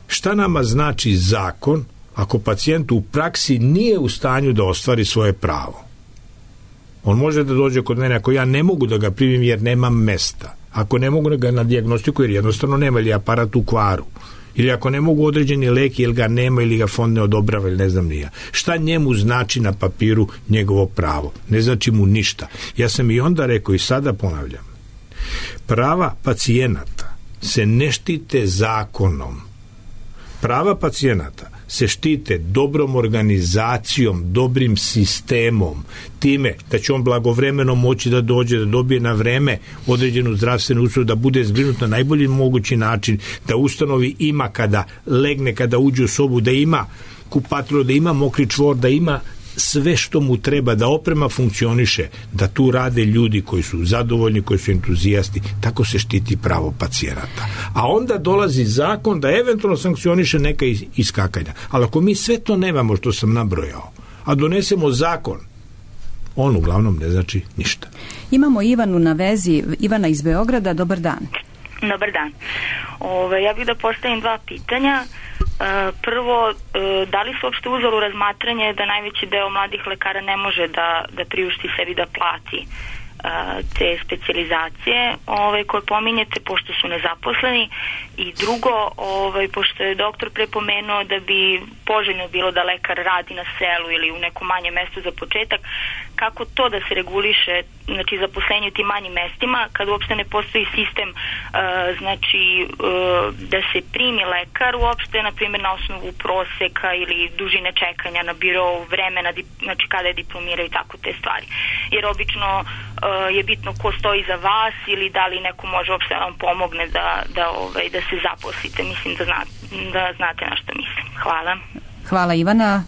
Šta nama znači zakon ako pacijent u praksi nije u stanju da ostvari svoje pravo? On može da dođe kod mene ako ja ne mogu da ga primim jer nemam mesta, ako ne mogu da ga na dijagnostiku jer jednostavno nema ili aparat u kvaru, ili ako ne mogu određeni lek ili ga nema ili ga fond ne odobrava ili ne znam nija. Šta njemu znači na papiru njegovo pravo? Ne znači mu ništa. Ja sam i onda rekao i sada ponavljam. Prava pacijenata se ne štite zakonom. Prava pacijenata se štite dobrom organizacijom, dobrim sistemom, time da će on blagovremeno moći da dođe, da dobije na vreme određenu zdravstvenu uslugu, da bude zbrinut na najbolji mogući način, da ustanovi ima kada legne, kada uđe u sobu, da ima kupatilo, da ima mokri čvor, da ima sve što mu treba, da oprema funkcioniše, da tu rade ljudi koji su zadovoljni, koji su entuzijasti. Tako se štiti pravo pacijenata. A onda dolazi zakon da eventualno sankcioniše neka iskakanja. Ali ako mi sve to nemamo što sam nabrojao, a donesemo zakon, on uglavnom ne znači ništa. Imamo Ivanu na vezi, Ivana iz Beograda, dobar dan. Dobar dan. Ove, ja bih da postavim dva pitanja. Prvo, da li se uopšte uzelo u razmatranje da najveći deo mladih lekara ne može da, da priušti sebi da plati te specijalizacije ove, koje pominjete pošto su nezaposleni, i drugo, ove, pošto je doktor prepomenuo da bi poželjno bilo da lekar radi na selu ili u nekom manjem mestu za početak, kako to da se reguliše, znači zaposlenje u tim manjim mestima kad uopšte ne postoji sistem uh, znači uh, da se primi lekar uopšte, na primjer na osnovu proseka ili dužine čekanja na biro, vremena, znači kada je diplomirao i tako te stvari. Jer obično uh, je bitno ko stoji za vas ili da li neko može uopšte da vam pomogne da, da, ovaj, da se zaposlite. Mislim da, zna, da znate na što mislim. Hvala. Hvala Ivana.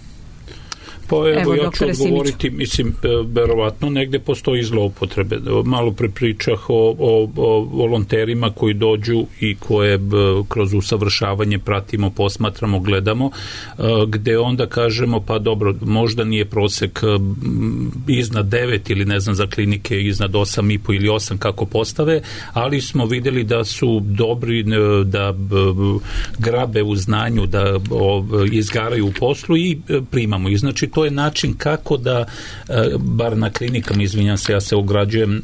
Pa evo, evo ja ću odgovoriti, mislim, verovatno negde postoji zloupotrebe. Malo pre pričah o, o, o volonterima koji dođu i koje b, kroz usavršavanje pratimo, posmatramo, gledamo, gde onda kažemo, pa dobro, možda nije prosek iznad devet ili ne znam za klinike iznad osam i po ili osam kako postave, ali smo videli da su dobri, da b, grabe u znanju, da o, izgaraju u poslu i primamo ih. Znači, to je način kako da, bar na klinikama, izvinjam se, ja se ograđujem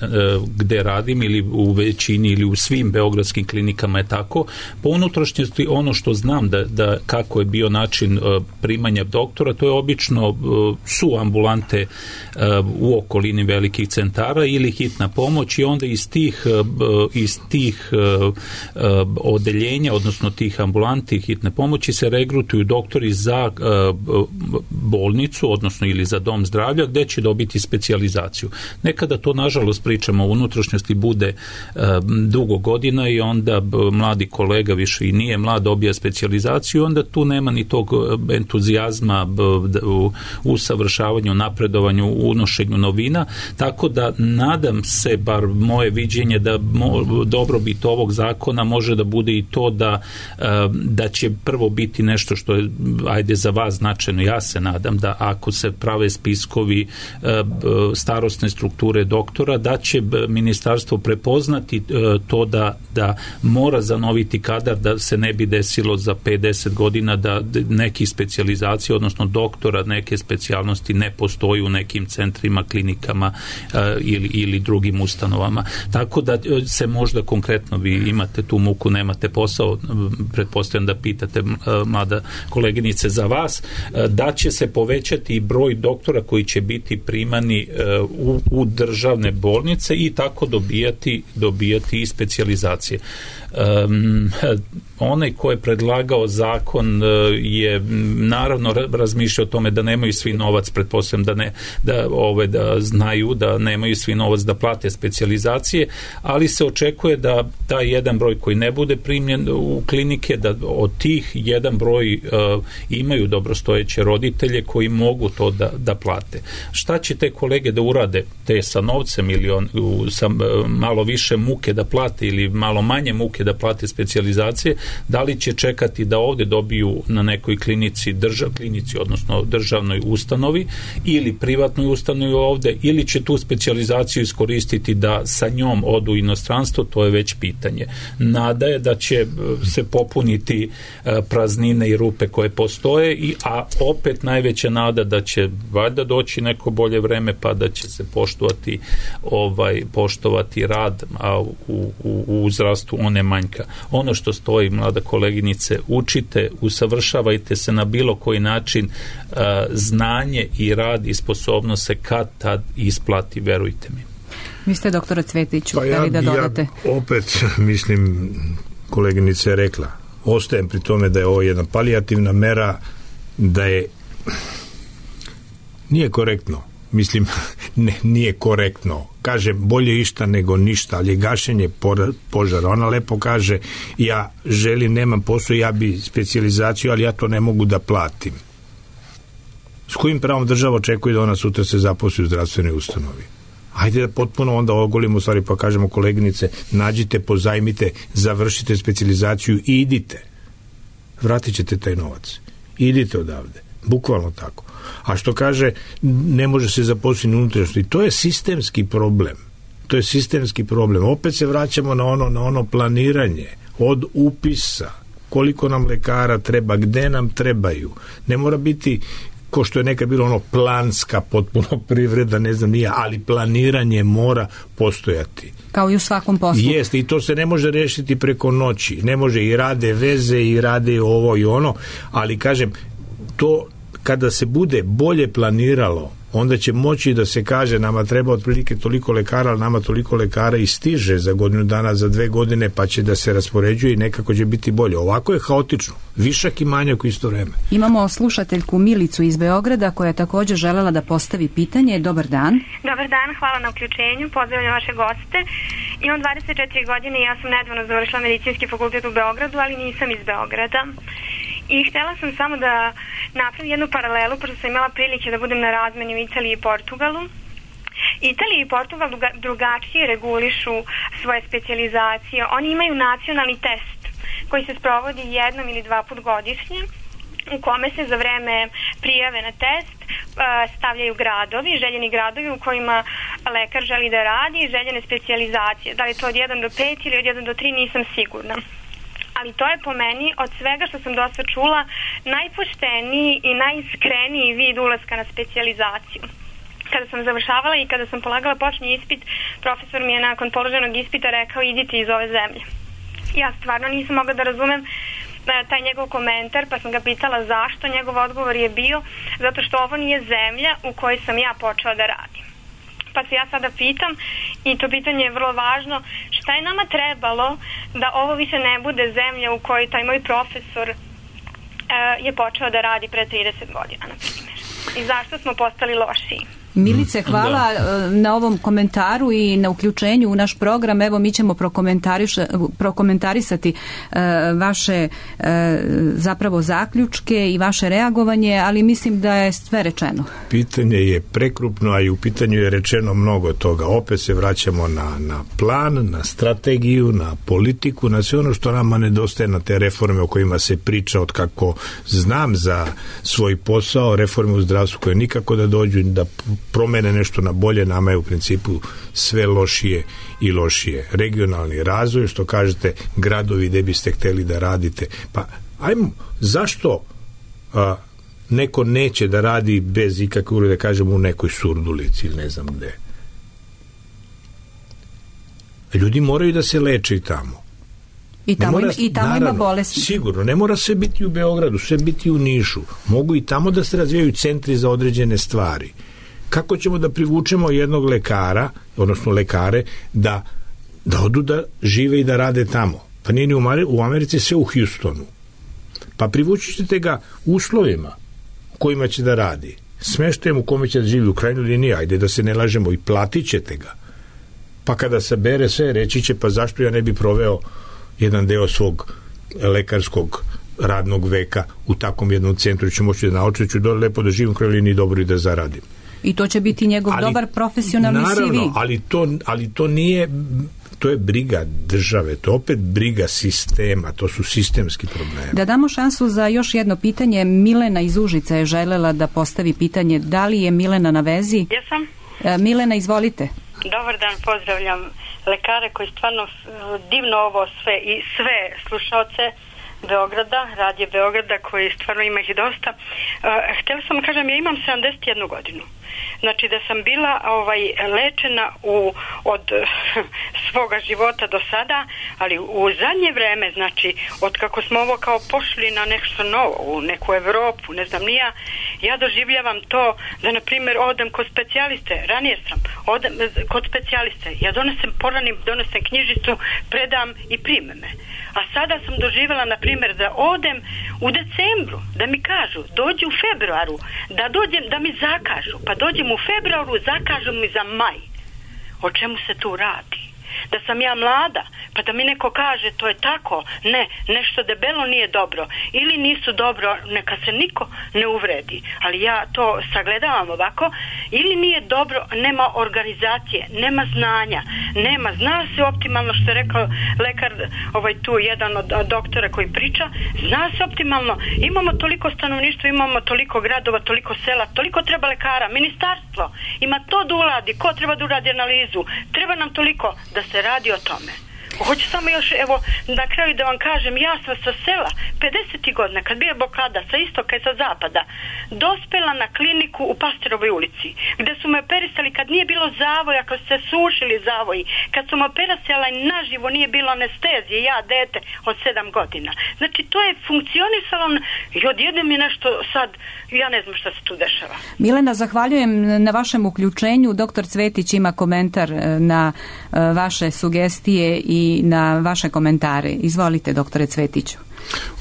gde radim ili u većini ili u svim beogradskim klinikama je tako. Po unutrašnjosti ono što znam da, da kako je bio način primanja doktora, to je obično su ambulante u okolini velikih centara ili hitna pomoć i onda iz tih, iz tih odeljenja, odnosno tih ambulanti hitne pomoći se regrutuju doktori za bolnicu bolnicu, odnosno ili za dom zdravlja, gde će dobiti specijalizaciju. Nekada to, nažalost, pričamo o unutrašnjosti, bude e, dugo godina i onda b, mladi kolega više i nije mlad, dobija specijalizaciju, onda tu nema ni tog entuzijazma b, d, u usavršavanju, napredovanju, unošenju novina, tako da nadam se, bar moje viđenje, da mo, dobrobit ovog zakona može da bude i to da, e, da će prvo biti nešto što je, ajde, za vas značajno. Ja se nadam da ako se prave spiskovi e, starosne strukture doktora, da će ministarstvo prepoznati e, to da, da mora zanoviti kadar, da se ne bi desilo za pedeset godina da neki specijalizacije, odnosno doktora neke specijalnosti ne postoji u nekim centrima, klinikama e, ili, ili drugim ustanovama. Tako da se možda konkretno, vi imate tu muku, nemate posao, pretpostavljam da pitate e, mlada koleginice za vas, e, da će se povećati i broj doktora koji će biti primani e, u, u državne bolnice i tako dobijati, dobijati i specijalizacije. Um, onaj ko je predlagao zakon je naravno razmišljao o tome da nemaju svi novac, pretpostavljam da ne, da ove da znaju da nemaju svi novac da plate specijalizacije, ali se očekuje da taj jedan broj koji ne bude primljen u klinike, da od tih jedan broj uh, imaju dobrostojeće roditelje koji mogu to da, da plate. Šta će te kolege da urade, te sa novcem ili on, u, sa uh, malo više muke da plate ili malo manje muke da plate specijalizacije, da li će čekati da ovde dobiju na nekoj klinici, držav, klinici, odnosno državnoj ustanovi ili privatnoj ustanovi ovde, ili će tu specijalizaciju iskoristiti da sa njom odu u inostranstvo, to je već pitanje. Nada je da će se popuniti praznine i rupe koje postoje, i, a opet najveća nada da će valjda doći neko bolje vreme, pa da će se poštovati ovaj, poštovati rad, a u, u, u zdravstvu one manjka. Ono što stoji, mlada koleginice, učite, usavršavajte se na bilo koji način, uh, znanje i rad i sposobnost se kad tad isplati, verujte mi. Vi ste, doktore Cvetiću, pa ja, da dodate? Ja opet, mislim, koleginica je rekla, ostajem pri tome da je ovo jedna palijativna mera, da je nije korektno, mislim, ne, nije korektno. Kaže, bolje išta nego ništa, ali je gašenje požara. Ona lepo kaže, ja želim, nemam posao, ja bi specijalizaciju, ali ja to ne mogu da platim. S kojim pravom država očekuje da ona sutra se zaposli u zdravstvenoj ustanovi? Ajde da potpuno onda ogolimo stvari, pa kažemo, koleginice, nađite, pozajmite, završite specijalizaciju i idite. Vratit ćete taj novac. Idite odavde. Bukvalno tako. A što kaže, ne može se zaposliti unutrašnjosti. To je sistemski problem. To je sistemski problem. Opet se vraćamo na ono, na ono planiranje od upisa. Koliko nam lekara treba, gde nam trebaju. Ne mora biti, ko što je nekad bilo, ono planska potpuno privreda, ne znam nije, ali planiranje mora postojati. Kao i u svakom poslu. Jeste, i to se ne može rešiti preko noći. Ne može, i rade veze, i rade ovo i ono, ali kažem, to kada se bude bolje planiralo, onda će moći da se kaže, nama treba otprilike toliko lekara, ali nama toliko lekara i stiže za godinu dana, za dve godine, pa će da se raspoređuje i nekako će biti bolje. Ovako je haotično. Višak i manjak u isto vreme. Imamo slušateljku Milicu iz Beograda koja je također želela da postavi pitanje. Dobar dan. Dobar dan, hvala na uključenju. Pozdravljam vaše goste. Imam dvadeset četiri godine i ja sam nedavno završila medicinski fakultet u Beogradu, ali nisam iz Beograda. I htjela sam samo da napravim jednu paralelu, pošto sam imala prilike da budem na razmeni u Italiji i Portugalu. Italija i Portugal drugačije regulišu svoje specijalizacije. Oni imaju nacionalni test koji se sprovodi jednom ili dva put godišnje, u kome se za vreme prijave na test stavljaju gradovi, željeni gradovi u kojima lekar želi da radi i željene specijalizacije. Da li to od jedan do pet ili od jedan do tri, nisam sigurna. Ali to je po meni, od svega što sam dosta čula, najpošteniji i najiskreniji vid ulaska na specijalizaciju. Kada sam završavala i kada sam polagala početni ispit, profesor mi je nakon položenog ispita rekao, idite iz ove zemlje. Ja stvarno nisam mogla da razumem taj njegov komentar, pa sam ga pitala zašto. Njegov odgovor je bio, zato što ovo nije zemlja u kojoj sam ja počela da radim. Pa se ja sada pitam, i to pitanje je vrlo važno, šta je nama trebalo da ovo više ne bude zemlja u kojoj taj moj profesor e, je počeo da radi pre trideset godina, na primjer. i zašto smo postali lošiji. Milice, hvala da. na ovom komentaru i na uključenju u naš program. Evo, mi ćemo prokomentarisati uh, vaše uh, zapravo zaključke i vaše reagovanje, ali mislim da je sve rečeno. Pitanje je prekrupno, a i u pitanju je rečeno mnogo toga. Opet se vraćamo na, na plan, na strategiju, na politiku, na sve ono što nama nedostaje, na te reforme o kojima se priča od kako znam za svoj posao, reforme u zdravstvu koje nikako da dođu, da promene nešto na bolje, nama je u principu sve lošije i lošije. Regionalni razvoj, što kažete, gradovi gde biste hteli da radite. Pa, ajmo, zašto a, neko neće da radi bez ikakve urede, kažemo, u nekoj Surdulici ili ne znam gde? Ljudi moraju da se leče i tamo. I tamo, mora, ima, i tamo naravno, ima bolesti. Sigurno, ne mora sve biti u Beogradu, sve biti u Nišu. Mogu i tamo da se razvijaju centri za određene stvari. Kako ćemo da privučemo jednog lekara, odnosno lekare, da, da odu da žive i da rade tamo? Pa nije ni u Americi, sve u Houstonu. Pa privući ćete ga uslovima u kojima će da radi. Smeštajem u kome će da živi, u krajnjoj liniji, ajde da se ne lažemo, i platit ćete ga. Pa kada sabere sve, reći će, pa zašto ja ne bi proveo jedan deo svog lekarskog radnog veka u takvom jednom centru, ću moći da naučiti, ću do, lepo da živim u krajnjoj liniji, dobro i da zaradim. I to će biti njegov ali, dobar profesionalni naravno, C V. ali to, ali to nije, to je briga države, to je opet briga sistema, to su sistemski problemi. Da damo šansu za još jedno pitanje. Milena iz Užica je želela da postavi pitanje. Da li je Milena na vezi? Jesam. Milena, izvolite. Dobar dan, pozdravljam lekare koji stvarno divno ovo sve i sve slušaoce Beograda, radije Beograda, koji stvarno ima ih dosta. Uh, htjela sam kažem, ja imam sedamdeset jednu godinu. Znači da sam bila ovaj lečena u, od svoga života do sada, ali u zadnje vreme, znači od kako smo ovo kao pošli na nešto novo, u neku Evropu, ne znam ni ja, ja doživljavam to da na primjer odem kod specijaliste, ranije sam odem kod specijaliste, ja donesem poranim, donesem knjižicu, predam i prime me. A sada sam doživjela, na primjer, da odem u decembru, da mi kažu, dođi u februaru, da dođem, da mi zakažu, pa dođem u februaru, zakažu mi za maj. O čemu se tu radi? Da sam ja mlada, pa da mi neko kaže to je tako, ne, nešto debelo nije dobro, ili nisu dobro, neka se niko ne uvredi, ali ja to sagledavam ovako, ili nije dobro, nema organizacije, nema znanja, nema, zna se optimalno, što je rekao lekar, ovaj tu jedan od doktora koji priča, zna se optimalno, imamo toliko stanovništva, imamo toliko gradova, toliko sela, toliko treba lekara, ministarstvo ima to da uradi, ko treba da uradi analizu, treba nam toliko da se radi o tome. Hoću samo još, evo, na kraju da vam kažem, ja sam sa sela pedesetih godina, kad bio blokada sa istoka i sa zapada, dospela na kliniku u Pasterovoj ulici, gde su me operisali kad nije bilo zavoja, kad su se sušili zavoji, kad su me operisala i naživo nije bilo anestezije, ja dete od sedam godina. Znači, to je funkcionisalo i odjednom je nešto sad, ja ne znam šta se tu dešava. Milena, zahvaljujem na vašem uključenju. Doktor Cvetić ima komentar na vaše sugestije i na vaše komentare. Izvolite, doktore Cvetiću.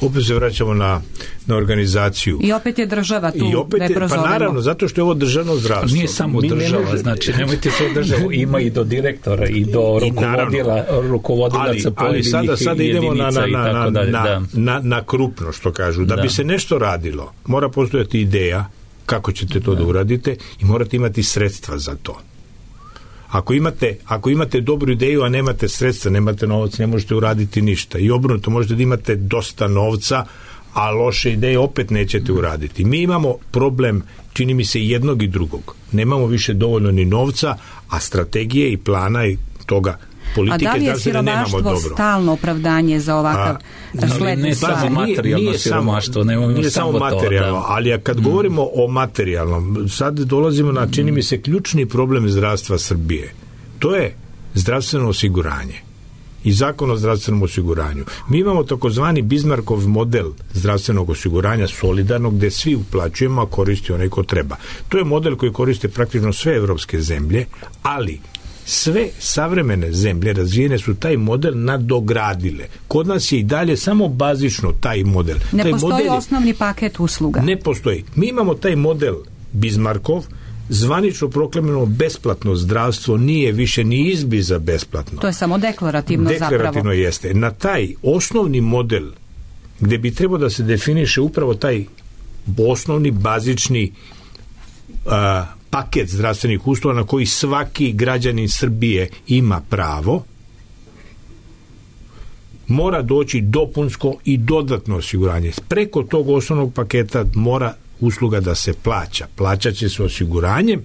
Opet se vraćamo na, na organizaciju. I opet je država tu. I opet je, pa naravno, zato što je ovo državno zdravstvo. Nije samo Mi država, ne znači nemojte sve državu, ima i do direktora i do rukovodila, rukovodilaca pojedinih jedinica. Ali sada, sada idemo na, na, na, na, dalje, na, da. na, na krupno, što kažu. Da, da bi se nešto radilo, mora postojati ideja kako ćete to da, da uradite i morate imati sredstva za to. Ako imate, ako imate dobru ideju, a nemate sredstva, nemate novac, ne možete uraditi ništa. I obrnuto, možete da imate dosta novca, a loše ideje opet nećete uraditi. Mi imamo problem, čini mi se, jednog i drugog. Nemamo više dovoljno ni novca, a strategije i plana i toga politike, a da li je siromaštvo stalno opravdanje za ovakav sled? Ne samo materijalno siromaštvo, nemamo nije samo materijalno, to, da. Ali kad mm. govorimo o materijalnom, sad dolazimo na, čini mi se, ključni problem zdravstva Srbije. To je zdravstveno osiguranje i zakon o zdravstvenom osiguranju. Mi imamo takozvani Bismarckov model zdravstvenog osiguranja solidarnog, gde svi uplaćujemo, a koristi onaj ko treba. To je model koji koriste praktično sve evropske zemlje, ali sve savremene zemlje razvijene su taj model nadogradile. Kod nas je i dalje samo bazično taj model. Ne taj postoji model osnovni paket usluga. Ne postoji. Mi imamo taj model Bismarckov, zvanično proklamirano besplatno zdravstvo nije više ni izbliza besplatno. To je samo deklarativno, deklarativno zapravo. Deklarativno jeste. Na taj osnovni model gde bi trebao da se definiše upravo taj osnovni, bazični a, paket zdravstvenih usluga na koji svaki građanin Srbije ima pravo, mora doći dopunsko i dodatno osiguranje. Preko tog osnovnog paketa mora usluga da se plaća. Plaćat će se osiguranjem,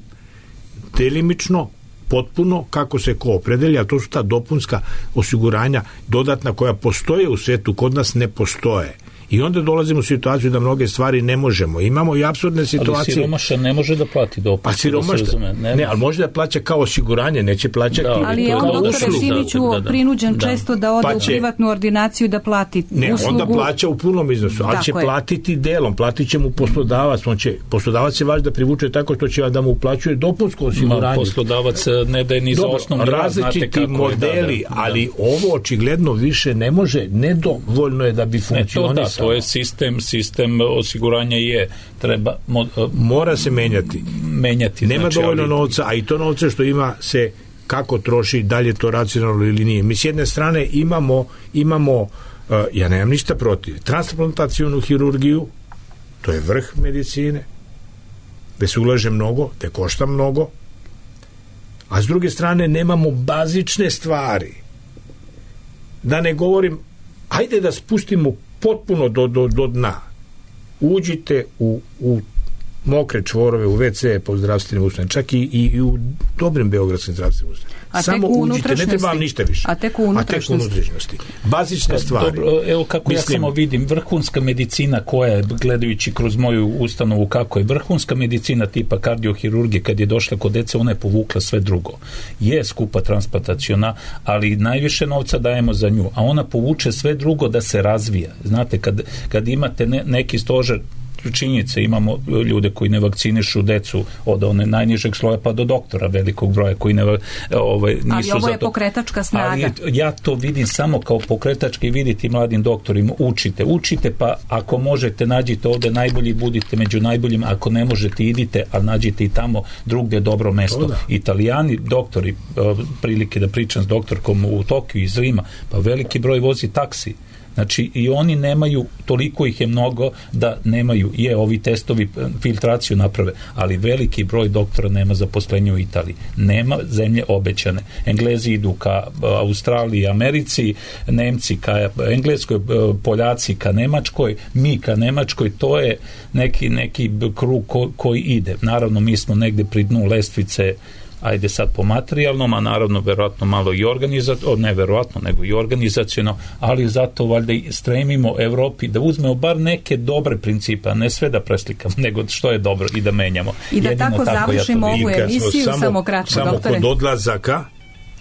delimično, potpuno, kako se ko opredelja, a to su ta dopunska osiguranja dodatna koja postoje u svetu, kod nas ne postoje. I onda dolazimo u situaciju da mnoge stvari ne možemo. Imamo i apsurdne situacije. Ali siromašan ne može da plati dopunsko. Pa siromašan, ne, ne, ali može da plaća kao osiguranje, neće plaćati. Da, ali je on, doktore Simiću, da, da, da. prinuđen da. često da ode pa će, u privatnu ordinaciju da plati ne, uslugu. Ne, onda plaća u punom iznosu, ali tako će je. platiti delom, platit će mu poslodavac. On će, poslodavac se vaš da privuče tako što će da mu uplaćuje dopunsko osiguranje. Ma, poslodavac ne daje ni za osnovni rad. Različiti modeli, da, da, ali ovo očigledno više ne može, nedovoljno je da bi funkcionisalo. To je sistem, sistem osiguranja je, treba... Mo, mora se menjati. Menjati. Nema znači, dovoljno ali... novca, a i to novce što ima se kako troši, dalje to racionalno ili nije. Mi s jedne strane imamo, imamo uh, ja nemam ništa protiv, transplantacionu hirurgiju, to je vrh medicine, gde se ulaže mnogo, gde košta mnogo, a s druge strane nemamo bazične stvari. Da ne govorim, ajde da spustimo potpuno do, do, do dna. Uđite u, u mokre čvorove, u ve ce po zdravstvenim ustanovama, čak i, i, i u dobrim beogradskim zdravstvenim ustanovama. Samo uđite, ne treba vam ništa više. A tek u unutrašnjosti. A tek u unutrašnjosti. Bazične stvari. Dobro, evo kako Mislim, ja samo vidim, vrhunska medicina koja je, gledajući kroz moju ustanovu kako je, vrhunska medicina tipa kardiohirurgije, kad je došla kod dece, ona je povukla sve drugo. Je skupa transplantaciona, ali najviše novca dajemo za nju, a ona povuče sve drugo da se razvija. Znate, kad, kad imate ne, neki stožer, činjenice, imamo ljude koji ne vakcinišu decu od one najnižeg sloja pa do doktora velikog broja koji ne ovaj, nisu ali ovo je zato... pokretačka snaga. Ali ja to vidim samo kao pokretački, vidite mladim doktorima, učite, učite pa ako možete nađite ovde najbolji, budite među najboljim, ako ne možete idite, a nađite i tamo drugde dobro mesto. Italijani, doktori, prilike da pričam s doktorkom u Tokiju iz Rima, pa veliki broj vozi taksi. Znači i oni nemaju, toliko ih je mnogo da nemaju, je ovi testovi filtraciju naprave, ali veliki broj doktora nema zaposlenja u Italiji. Nema zemlje obećane. Englezi idu ka Australiji, Americi, Nemci ka Engleskoj, Poljaci ka Nemačkoj, mi ka Nemačkoj, to je neki, neki krug ko, koji ide. Naravno mi smo negde pri dnu lestvice, ajde sad po materijalnom, a naravno verovatno malo i organizacijno, ne verovatno, nego i organizacijno, ali zato valjda i stremimo Evropi da uzmemo bar neke dobre principe, a ne sve da preslikamo, nego što je dobro i da menjamo. I da Jedino tako, tako završimo ja ovu emisiju, samo, samo kratko, samo doktore. Samo kod odlazaka,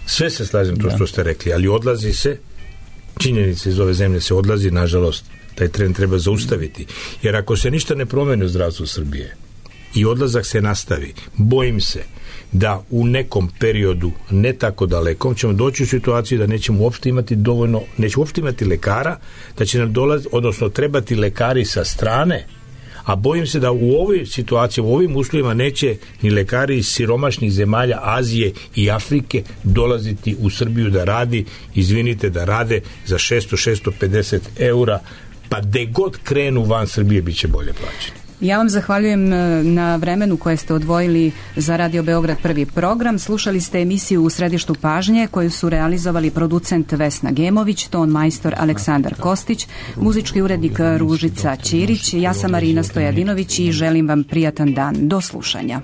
sve se slažem to što ste rekli, ali odlazi se, činjenice iz ove zemlje se odlazi, nažalost, taj trend treba zaustaviti. Jer ako se ništa ne promeni u zdravstvu Srbije i odlazak se nastavi, bojim se da u nekom periodu, ne tako dalekom, ćemo doći u situaciju da nećemo uopšte imati dovoljno, nećemo uopšte imati lekara, da će nam dolaziti, odnosno trebati lekari sa strane, a bojim se da u ovoj situaciji, u ovim uslovima neće ni lekari iz siromašnih zemalja Azije i Afrike dolaziti u Srbiju da radi, izvinite, da rade za šesto do šesto pedeset eura, pa de god krenu van Srbije bit će bolje plaćeni. Ja vam zahvaljujem na vremenu koje ste odvojili za Radio Beograd prvi program. Slušali ste emisiju U središtu pažnje koju su realizovali producent Vesna Gemović, ton majstor Aleksandar Kostić, muzički urednik Ružica Ćirić, ja sam Marina Stojadinović i želim vam prijatan dan. Do slušanja.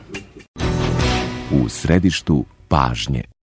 U središtu pažnje.